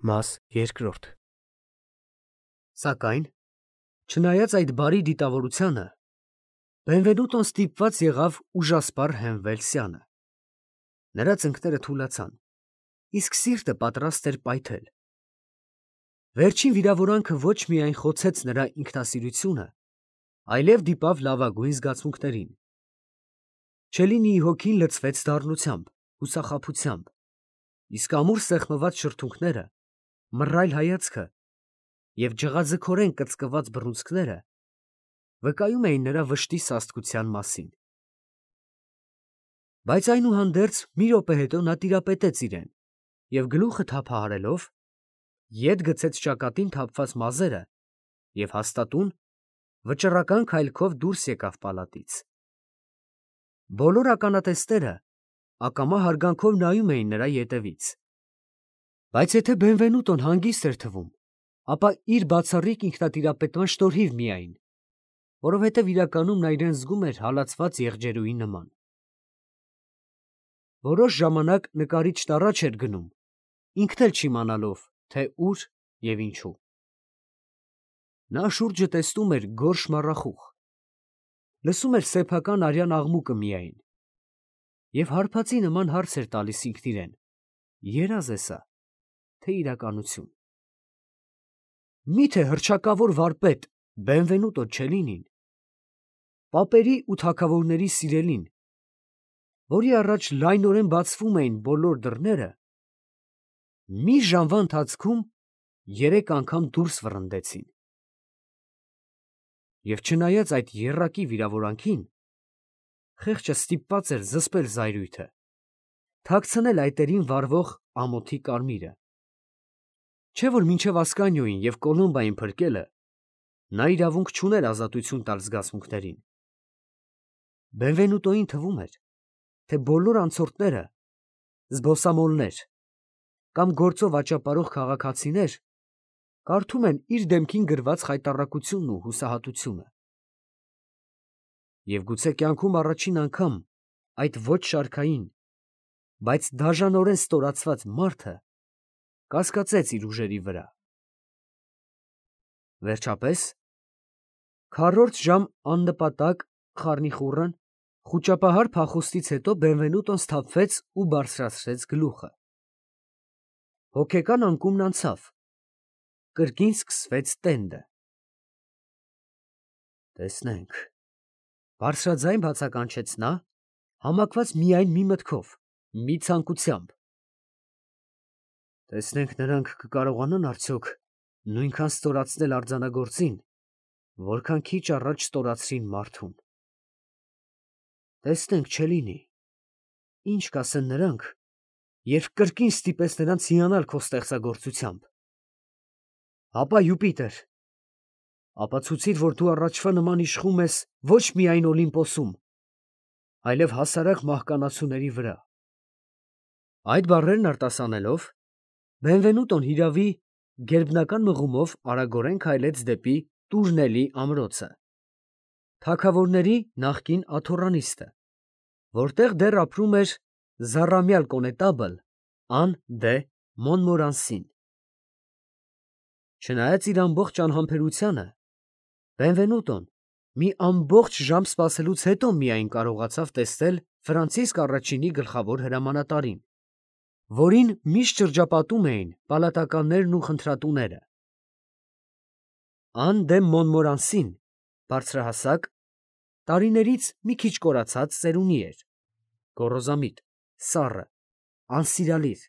Մաս երկրորդ Սակայն, չնայած այդ բարի դիտավորությանը, Բենվենուտոն ստիպված եղավ ուժասպառ հենվել սյանը։ Նրա ծնկները թուլացան, իսկ սիրտը պատրաստ էր պայթել։ Վերջին վիրավորանքը ոչ միայն խոցեց նրա ինքնասիրությունը, այլև դիպավ լավագույն զգացմունքներին։ Չելինիի հոգին լցվեց դառնությամբ, հուսախաբությամբ, իսկ ամուր սեղմված շրթունքները, մռայլ հայացքը և ջղաձգորեն կծկված բռունցքները վկայում էին նրա վշտի սաստկության մասին։ Բայց այնուհանդերձ մի րոպե հետո նա տիրապետեց իրեն և գլուխը թափահարելով, ետ գցեց ճակատին թափված մազերը և հաստատուն, վճռական քայլքով դուրս եկավ պալատից։ Բոլոր ականատեսները ակամա հարգանքով նայում էին նրա ետևից։ Բայց եթե Բենվենուտոն հանգիստ էր թվում, ապա իր բացառիկ ինքնատիրապետման շնորհիվ միայն, որովհետև իրականում նա իրեն զգում էր հալածված եղջերուի նման։ Որոշ ժամանակ նկարիչն առաջ էր գնում, ինքն էլ չիմանալով, թե ուր և ինչու։ Նա շուրջը տեսնում էր գորշ մառախուղ, լսում էր սեփական արյան աղմուկը միայն և հարբածի նման հարց էր տալիս ինքն իրեն. երազ է սա, թե իրականություն։ Մի՞թե հռչակավոր վարպետ Բենվենուտո Չելինին, պապերի ու թագավորների սիրելին, որի առաջ լայնորեն բացվում էին բոլոր դռները, մի ժամվա ընթացքում 3 անգամ դուրս վռնդեցին։ Եվ չնայած այդ եռակի վիրավորանքին, խեղճը ստիպված էր զսպել զայրույթը, թաքցնել այտերին վառվող ամոթի կարմիրը։ Չէ՞ որ մինչև Ասկանիոյին և Կոլումբային փրկելը նա իրավունք չուներ ազատություն տալ զգացմունքներին։ Բենվենուտոյին թվում էր, թե բոլոր անցորդները, զբոսամոլներ կամ գործով աճապարող քաղաքացիներ կարդում են իր դեմքին գրված խայտառակությունն ու հուսահատությունը։ Եվ գուցե կյանքում առաջին անգամ այդ ոչ շարքային, բայց դաժանորեն ստորացված մարդը կասկածեց իր ուժերի վրա։ Վերջապես, քառորդ ժամ աննպատակ խառնիխուռն խուճապահար փախուստից հետո Բենվենուտոն սթափվեց ու բարձրացրեց գլուխը։ Հոգեկան անկումն անցավ, կրկին սկսվեց տենդը։ Տեսնենք, բարձրաձայն բացականչեց նա, համակված միայն մի մտքով, մի ցանկությամբ։ Տեսնենք նրանք կկարողանան արդյոք նույնքան ստորացնել արձանագործին, որքան քիչ առաջ ստորացրին մարդուն։ Տեսնենք, Չելինի, ինչ կասեն նրանք, երբ կրկին ստիպես նրանց հիանալ քո ստեղծագործությամբ։ Հապա Յուպիտեր, ապացուցիր, որ դու առաջվա նման իշխում ես ոչ միայն Օլիմպոսում, այլև հասարակ մահկանացուների վրա։ Այդ բառերն արտասանելով, Բենվենուտոն հիրավի գերբնական մղումով արագորեն քայլեց դեպի Տուրնելի ամրոցը, թագավորների նախկին աթոռանիստը, որտեղ դեռ ապրում էր զառամյալ կոնետաբլ Ան դե Մոնմորանսին։ Չնայած իր ամբողջ անհամբերությանը, Բենվենուտոն մի ամբողջ ժամ սպասելուց հետո միայն կարողացավ տեսնել Ֆրանցիսկ առաջինի գլխավոր հրամանատարին, որին միշտ շրջապատում էին պալատականներն ու խնդրատուները։ Ան դե Մոնմորանսին բարձրահասակ, տարիներից մի քիչ կորացած ծերունի էր, գոռոզամիտ, սառը, անսիրալիր,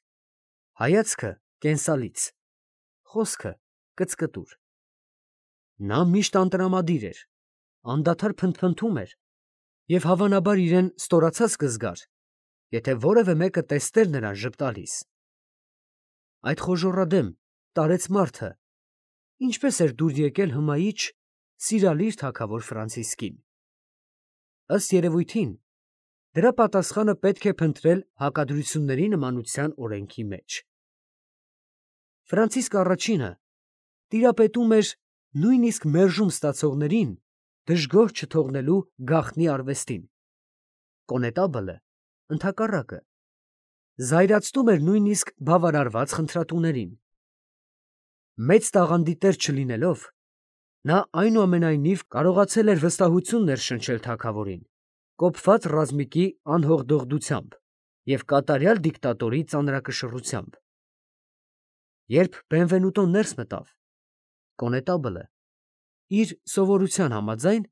հայացքը կենսալից, խոսքը կծկտուր։ Նա միշտ անտրամադիր էր, անդադար փնթփնթում էր և հավանաբար իրեն ստորացած կզգար, եթե որևէ մեկը տեսներ նրան ժպտալիս։ Այդ խոժոռադեմ, տարեց մարդը ինչպես էր դուր եկել հմայիչ, սիրալիր թագավոր Ֆրանցիսկին։ Ըստ երևույթին, դրա պատասխանը պետք է փնտրել հակադրությունների նմանության օրենքի մեջ։ Ֆրանցիսկ առաջինը տիրապետում էր նույնիսկ մերժում ստացողներին դժգոհ չթողնելու գաղտնի արվեստին։ Կոնետաբլը, ընդհակառակը, զայրացնում էր նույնիսկ բավարարված խնդրատուներին։ Մեծ տաղանդի տեր չլինելով, նա այնուամենայնիվ կարողացել էր վստահություն ներշնչել թագավորին, կոփված ռազմիկի անհողդողդությամբ և կատարյալ դիկտատորի ծանրակշռությամբ։ Երբ Բենվենուտոն ներս մտավ, կոնետաբլը իր սովորության համաձայն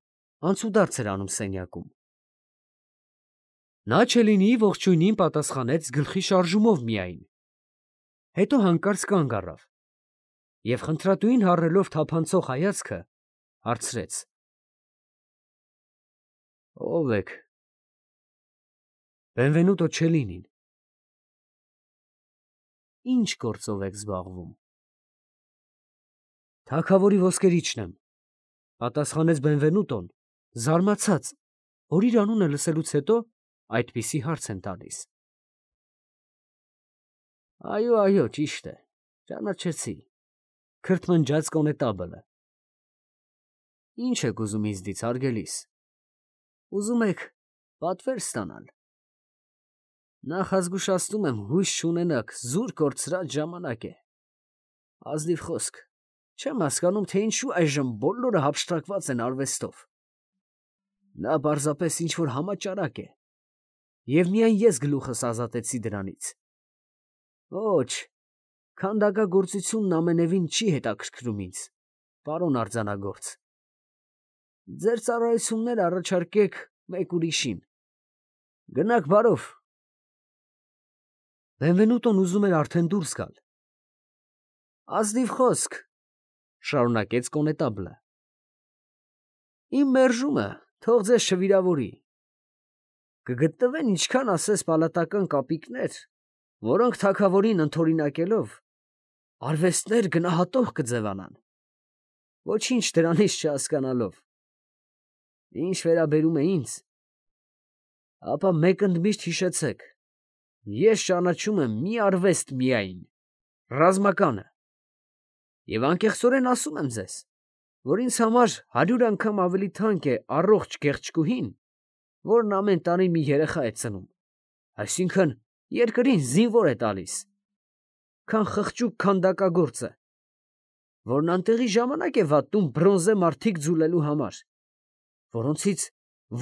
անցուդարձ էր անում սենյակում։ Նա Չելինիի ողջույնին պատասխանեց գլխի շարժումով միայն, հետո հանկարծ կանգ առավ և խնդրատուին հառելով թափանցող հայացքը հարցրեց. «Ո՞վ եք»։ Բենվենուտո Չելինին։ «Ի՞նչ գործով եք զբաղվում»։ «Թագավորի ոսկերիչն եմ», պատասխանեց Բենվենուտոն, զարմացած, որ իր անունը լսելուց հետո այդպիսի հարց են տալիս։ «Այո, ճիշտ է, ճանաչեցի», քրթմնջաց կոնետաբլը։ «Ի՞նչ եք ուզում ինձնից, հարգելիս։ Ուզում եք պատվեր ստանալ։ Նախազգուշացնում եմ, հույս չունենաք, զուր կորցրած ժամանակ է։ Ազնիվ խոսք, չեմ հասկանում, թե ինչու այժմ բոլորը հափշտակված են արվեստով։ Նա պարզապես ինչ-որ համաճարակ է, և միայն ես գլուխս ազատեցի դրանից։ Ոչ, քանդակագործությունն ամենևին չի հետաքրքրում ինձ, պարոն արձանագործ։ Ձեր ծառայությունները առաջարկեք մեկ ուրիշին։ Գնաք բարով»։ Բենվենուտոն ուզում էր արդեն դուրս գալ։ «Ազնիվ խոսք», շարունակեց կոնետաբլը։ «Իմ մերժումը թող ձեզ չվիրավորի։ Կգտնվեն ինչքան ասես պալատական կապիկներ, որոնք թագավորին ընդօրինակելով, արվեստներ գնահատող կձևանան, ոչինչ դրանից չհասկանալով։ Ինչ վերաբերում է ինձ, ապա մեկ ընդմիշտ հիշեցեք, ես ճանաչում եմ մի արվեստ միայն, ռազմականը, և անկեղծորեն ասում եմ ձեզ, որ ինձ համար 100 անգամ ավելի թանկ է առողջ գեղեցկուհին, որն ամեն տարի մի երեխա է ծնում, այսինքն երկրին զինվոր է տալիս, քան խղճուկ քանդակագործը, որն անտեղի ժամանակ է վատնում բրոնզե մարդիկ ձուլելու համար, որոնցից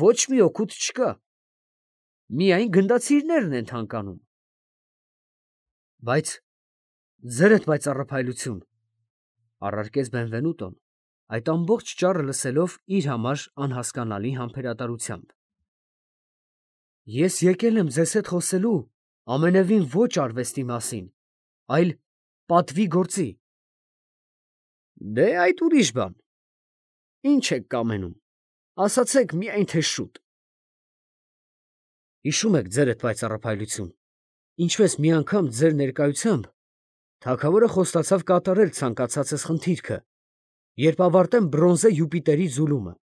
ոչ մի օգուտ չկա, միայն գնդացիրներն են թանկանում։ Բայց ձերդ պայծառափայլություն, առարկեց Բենվենուտոն, այդ ամբողջ ճառը լսելով իր համար անհասկանալի համբերատարությամբ։ Ես եկել եմ ձեզ հետ խոսելու ամենևին ոչ արվեստի մասին, այլ պատվի գործի։ Դե այդ ուրիշ բան։ Ինչ եք կամենում, ասացեք միայն թե շուտ։ Հիշում եք ձերդ պայծառափայլություն, ինչպես մի անգամ ձեր ներկայությամբ թագավորը խոստացավ կատարել ցանկացածս խնդիրքը, երբ ավարտեմ բրոնզե Յուպիտերի ձուլումը։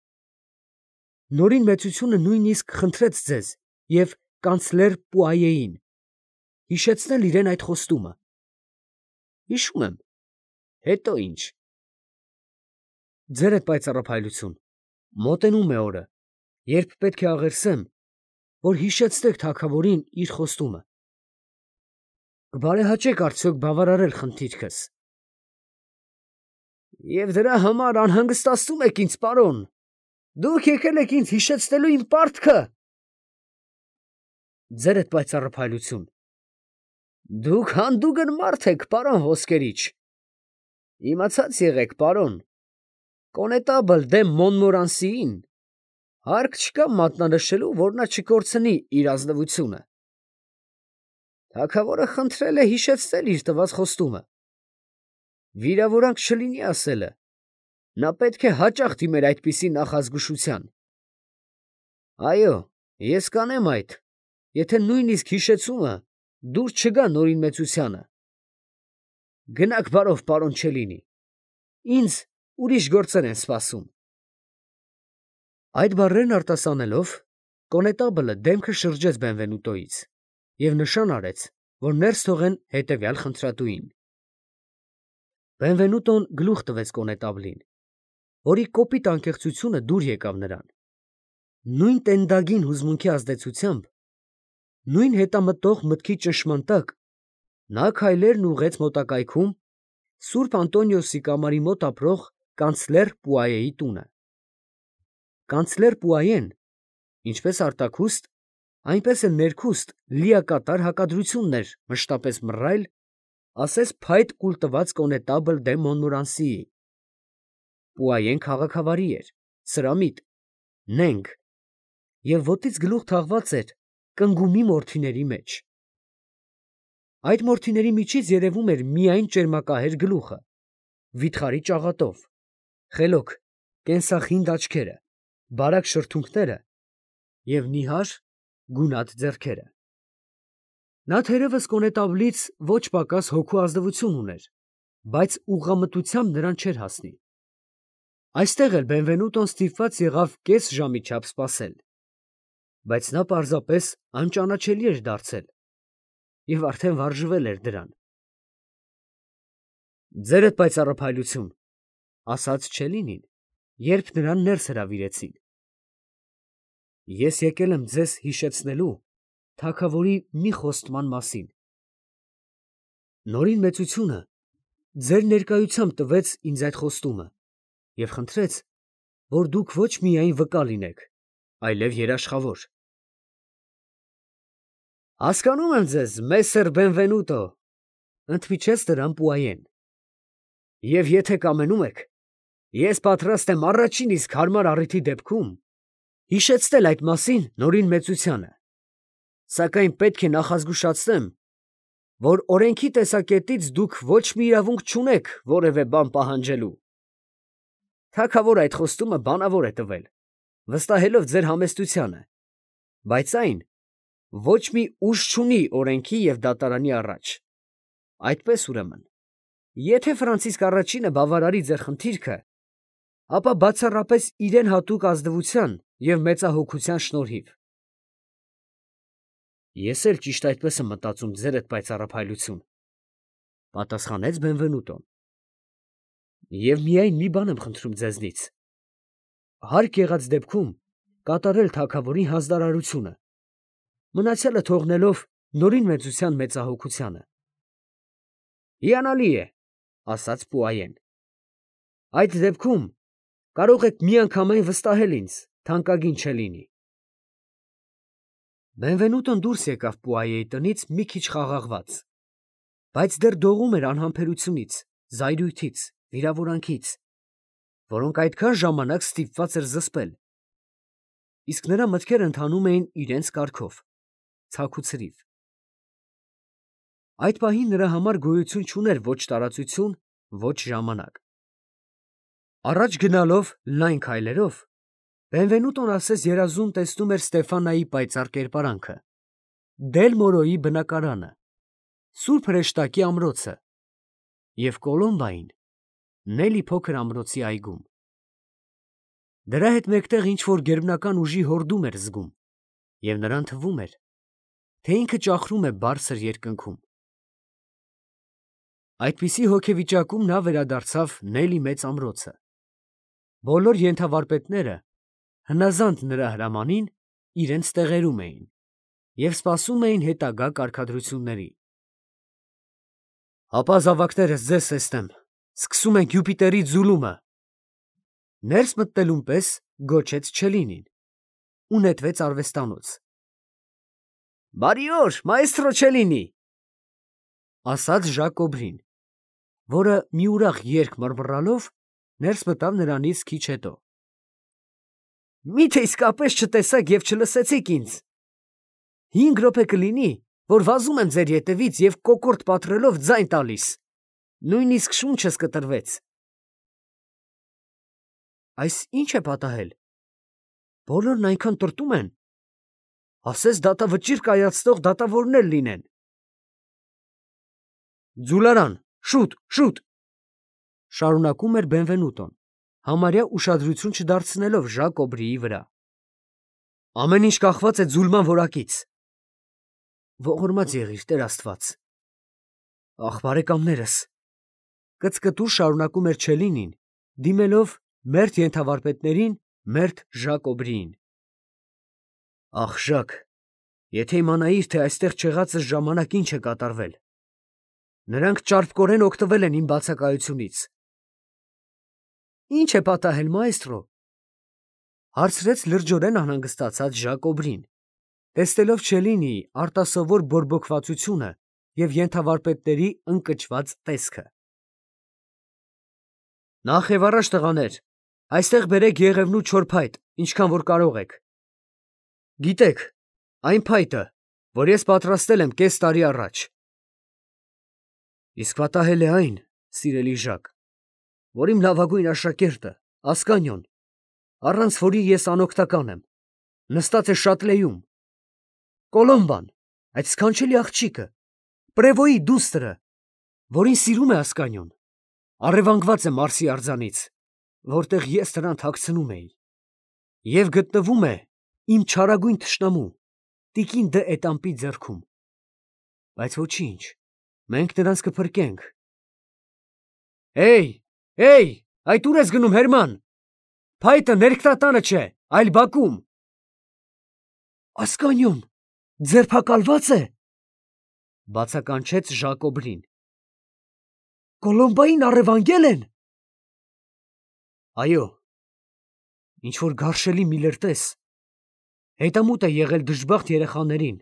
Նորին մեծությունը նույնիսկ խնդրեց ձեզ և կանցլեր Պուայեին հիշեցնել իրեն այդ խոստումը։ Հիշում եմ, հետո ինչ։ Ձերդ պայծառափայլություն, մոտենում է օրը, երբ պետք է աղերսեմ, որ հիշեցնեք թագավորին իր խոստումը։ Կբարեհաճեք արդյոք բավարարել խնդիրքս։ Եվ դրա համար անհանգստացնում եք ինձ, պարոն։ Դուք եկել եք ինձ հիշեցնելու իմ պարտքը։ Ձերդ պայծառափայլություն, դուք հանդուգն մարդ եք, պարոն ոսկերիչ։ Իմացած եղեք, պարոն, կոնետաբլ դե Մոնմորանսիին հարկ չկա մատնանշելու, որ նա չկորցնի իր ազնվությունը։ Թագավորը խնդրել է հիշեցնել իր տված խոստումը։ Վիրավորանք չլինի ասելը, նա պետք է հաճախ դիմեր այդպիսի նախազգուշության։ Այո, ես կանեմ այդ, եթե նույնիսկ հիշեցումը դուր չգա նորին մեծությանը։ Գնաք բարով, պարոն Չելինի, ինձ ուրիշ գործեր են սպասում։ Այդ բառերն արտասանելով, կոնետաբլը դեմքը շրջեց Բենվենուտոից և նշան արեց, որ ներս թողեն հետևյալ խնդրատուին։ Բենվենուտոն գլուխ տվեց կոնետաբլին, որի կոպիտ անկեղծությունը դուր եկավ նրան։ Նույն տենդագին հուզմունքի ազդեցությամբ, նույն հետամտող մտքի ճնշման տակ, նա քայլերն ուղղեց մոտակայքում Սուրբ Անտոնիոսի կամարի մոտ ապրող կանցլեր Պուայեի տունը։ Կանցլեր Պուայեն, ինչպես արտաքուստ, այնպես էլ ներքուստ լիակատար հակադրությունն էր մշտապես մռայլ, ասես փայտ կուլ տված կոնետաբլ դե Մոնմորանսիի։ Պուայեն քաղաքավարի էր, սրամիտ, նենգ, և ոտից գլուխ թաղված էր կնգումի մորթիների մեջ։ Այդ մորթիների միջից երևում էր միայն ճերմակահեր գլուխը, վիթխարի ճաղատով, խելոք, կենսախինդ աչքերը, բարակ շրթունքները և նիհար, գունատ ձեռքերը։ Նա թերևս կոնետաբլից ոչ պակաս հոգու ազնվություն ուներ, բայց ուղղամտությամբ նրան չէր հասնի։ Այստեղ էլ Բենվենուտոն ստիպված եղավ կես ժամի չափ սպասել, բայց նա պարզապես անճանաչելի էր դարձել և արդեն վարժվել էր դրան։ «Ձերդ պայծառափայլություն», ասաց Չելինին, երբ նրան ներս հրավիրեցին։ «Ես եկել եմ ձեզ հիշեցնելու թագավորի մի խոստման մասին։ Նորին մեծությունը ձեր ներկայությամբ տվեց ինձ այդ խոստումը և խնդրեց, որ դուք ոչ միայն վկա լինեք, այլև երաշխավոր»։ «Հասկանում եմ ձեզ, մեսեր Բենվենուտո», ընդմիջեց նրան Պուայեն, «և եթե կամենում եք, ես պատրաստ եմ առաջին իսկ հարմար առիթի դեպքում հիշեցնել այդ մասին նորին մեծությանը, սակայն պետք է նախազգուշացնեմ, որ օրենքի տեսակետից դուք ոչ մի իրավունք չունեք որևէ բան պահանջելու։ Թագավորը այդ խոստումը բանավոր է տվել, վստահելով ձեր համեստությանը, բայց այն ոչ մի ուժ չունի օրենքի և դատարանի առաջ։ Այդպես ուրեմն, եթե Ֆրանցիսկ առաջինը բավարարի ձեր խնդիրքը, ապա բացառապես իրեն հատուկ ազնվության և մեծահոգության շնորհիվ»։ «Ես էլ ճիշտ այդպես եմ մտածում, ձերդ պայծառափայլություն», պատասխանեց Բենվենուտոն, «և միայն մի բան եմ խնդրում ձեզնից. հարկ եղած դեպքում կատարել թագավորի հանձնարարությունը, մնացյալը թողնելով նորին մեծության մեծահոգությանը»։ «Հիանալի է, ֊ ասաց Պուայեն, ֊ այդ դեպքում կարող եք միանգամայն վստահել ինձ, թանկագին Չելինի»։ Բենվենուտոն դուրս եկավ Պուայեի տնից մի քիչ խաղաղված, բայց դեռ դողում էր անհամբերությունից, զայրույթից, վիրավորանքից, որոնք այդքան ժամանակ ստիպված էր զսպել, իսկ նրա մտքերը ընթանում էին իրենց կարգով, ցաք ու ցրիվ։ Այդ պահին նրա համար գոյություն չուներ ոչ տարածություն, ոչ ժամանակ։ Առաջ գնալով լայն քայլերով, Բենվենուտոն ասես երազում տեսնում էր Ստեֆանայի պայծառ կերպարանքը, Դել Մորոյի բնակարանը, Սուրբ Հրեշտակի ամրոցը և Կոլոմբային, Նելի փոքր ամրոցի այգում։ Դրա հետ մեկտեղ ինչ-որ գերբնական ուժի հորդում էր զգում, և նրան թվում էր, թե ինքը ճախրում է բարձր երկնքում։ Այդպիսի հոգեվիճակում նա վերադարձավ Նելի մեծ ամրոցը։ Բոլոր ենթավարպետները, հնազանդ նրա հրամանին, իրենց տեղերում էին և սպասում էին հետագա կարգադրությունների։ «Հապա զավակներս ձեզ տեսնեմ, սկսում ենք Յուպիտերի ձուլումը», ներս մտնելուն պես գոչեց Չելինին ու նետվեց արվեստանոց։ «Բարի օր, մաեստրո Չելինի», ասաց Ժակոբրին, որը մի ուրախ երգ մռմռալով ներս մտավ նրանից քիչ հետո։ «Մի՞թե իսկապես չտեսաք և չլսեցիք ինձ. 5 րոպե կլինի, որ վազում եմ ձեր ետևից և կոկորդ պատռելով ձայն տալիս, նույնիսկ շունչս կտրվեց»։ «Այս ի՞նչ է պատահել, բոլորն այնքան տրտում են, ասես դատավճիռ կայացնող դատավորներ լինեն»։ «Ձուլարան, շուտ, շուտ», շարունակում էր Բենվենուտոն, համարյա ուշադրություն չդարձնելով Ժակոբրիի վրա։ «Ամեն ինչ կախված է ձուլման որակից»։ «Ողորմած եղիր, Տեր Աստված»։ «Ախ, բարեկամներս», կծկտուր շարունակում էր Չելինին, դիմելով մերթ ենթավարպետներին, մերթ Ժակոբրիին։ «Ախ, Ժակ, եթե իմանայիր, թե այստեղ չեղածս ժամանակ ինչ է կատարվել։ Նրանք ճարպկորեն օգտվել են իմ բացակայությունից։ Ինչ է պատահել, մայստրո, հարցրեց լրջորեն անհանգստացած Ժակոբրին, տեսնելով Չելինիի արտասովոր բորբոքվածությունը և ենթավարպետների ընկճված տեսքը։ Նախ և առաջ տղաներ, այստեղ բերեք եղևնու չոր փայտ, ինչքան որ կարող եք։ Գիտեք, այն փայտը, որ ես պատրաստել եմ կես տարի առաջ։ Իսկ պատահել է այն, սիրելի Ժակ, որ իմ լավագույն աշակերտը, Ասկանիոն, առանց որի ես անօգնական եմ, նստած է Շատլեյում, Կոլոմբան, այդ սքանչելի աղջիկը, Պրևոյի դուստրը, որին սիրում է Ասկանիոն, առևանգված է Մարսի արձանից, որտեղ ես նրան թաքցնում էի, և գտնվում է իմ չարագույն թշնամու, տիկին դը Էտամպի ձեռքում, բայց ոչինչ, մենք նրանց կփրկենք։ Այդ ուր ես գնում, Հերման, փայտը ներքտատանը չէ, այլ բակում։ Ասկանիոն, ձերբակալվա՞ծ է, բացականչեց Ժակոբրին։ Կոլոմբային առևանգել են։ Այո, ինչ-որ գարշելի մի լրտես հետամուտ է եղել դժբախտ երեխաներին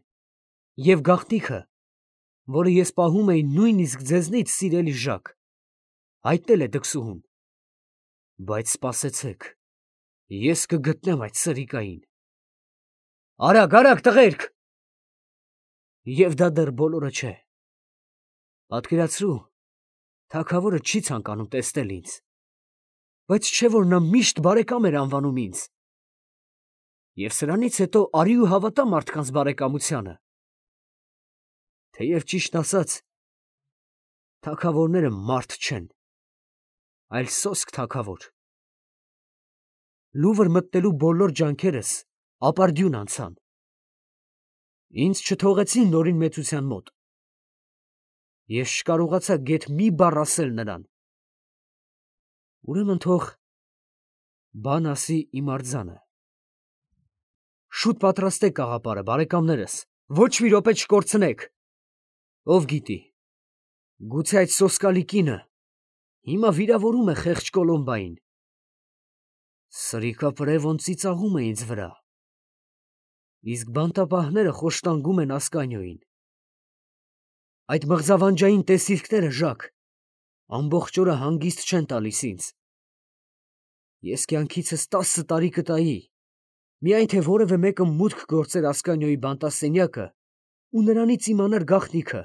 և գաղտնիքը, որը ես պահում էի նույնիսկ ձեզնից, սիրելի Ժակ, հայտնել է դքսուհուն, բայց սպասեցեք, ես կգտնեմ այդ սրիկային։ Արագ, տղերք։ Եվ դա դեռ բոլորը չէ։ Պատկերացրու, թագավորը չի ցանկանում տեսնել ինձ, բայց չէ որ նա միշտ բարեկամ էր անվանում ինձ։ Եվ սրանից հետո արի ու հավատա մարդկանց բարեկամությանը։ Թեև ճիշտն ասած, թագավորները մարդ չեն, այլ սոսկ թագավոր։ Լուվր մտնելու բոլոր ջանքերս ապարդյուն անցան։ Ինձ չթողեցին Նորին մեծության մոտ։ Ես չկարողացա գեթ մի բառ ասել նրան։ Ուրեմն թող բան ասի իմ արձանը։ Շուտ պատրաստեք կաղապարը, բարեկամներս, ոչ մի րոպե չկորցնեք։ Ով գիտի, գուցե այդ սոսկալի կինը հիմա վիրավորում է խեղճ Կոլոմբային։ Սրիկապրևոն ծիծաղում է ինձ վրա, իսկ բանտապահները խոշտանգում են Ասկանիոյին։ Այդ մղձավանջային տեսիլքները, Ժակ, ամբողջ օրը հանգիստ չեն տալիս ինձ։ Ես կյանքիցս 10 տարի կտայի, միայն թե որևէ մեկը մուտք գործեր Ասկանիոյի բանտասենյակը ու նրանից իմանար գաղտնիքը,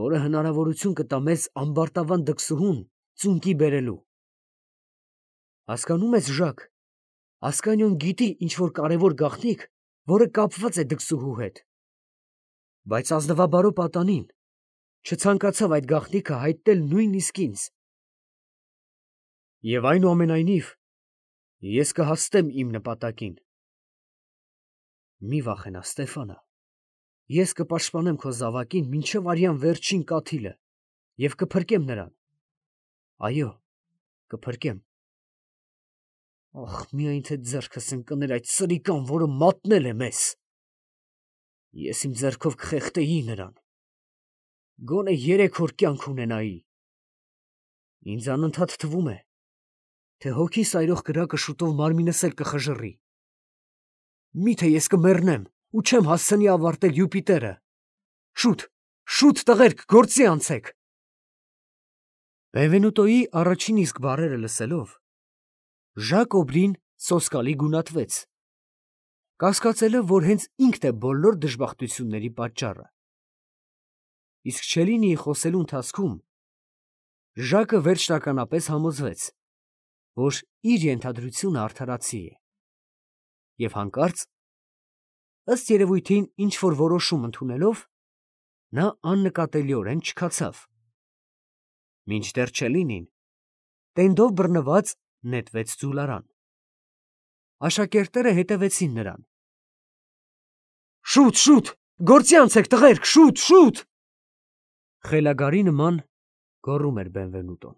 որը հնարավորություն կտա մեզ ամբարտավան դքսուհուն ծունկի բերելու։ Հասկանում ես, Ժակ, Ասկանիոն գիտի ինչ-որ կարևոր գաղտնիք, որը կապված է դքսուհու հետ, բայց ազնվաբարո պատանին չցանկացավ այդ գաղտնիքը հայտնել նույնիսկ ինձ։ Եվ այնուամենայնիվ ես կհասնեմ իմ նպատակին։ Մի վախենա, Ստեֆանա, ես կպաշտպանեմ քո զավակին մինչև արյան վերջին կաթիլը և կփրկեմ նրան։ Այո, կփրկեմ։ Ախ, միայն թե ձեռքս ընկներ այդ սրիկան, որը մատնել է մեզ։ Ես իմ ձեռքով կխեղդեի նրան, գոնե 3 օր կյանք ունենայի։ Ինձ անընդհատ թվում է, թե հոգի սայրող կրակը շուտով մարմինս էլ կխժռի։ Միթե ես կմեռնեմ ու չեմ հասցնի ավարտել Յուպիտերը։ Շուտ, տղերք, գործի անցեք։ Բենվենուտոյի առաջին իսկ բառերը լսելով, Ժակոբրին սոսկալի գունատվեց, կասկածելով, որ հենց ինքն է բոլոր դժբախտությունների պատճառը։ Իսկ Չելինիի խոսելու ընթացքում Ժակը վերջնականապես համոզվեց, որ իր ենթադրությունը արդարացի է, և հանկարծ, ըստ երևույթին ինչ-որ որոշում ընդունելով, նա աննկատելիորեն չքացավ, մինչդեռ Չելինին տենդով բռնված նետվեց ձուլարան։ Աշակերտները հետևեցին նրան։ Շուտ, գործի անցեք, տղերք, շուտ։ Խելագարի նման գոռում էր Բենվենուտոն։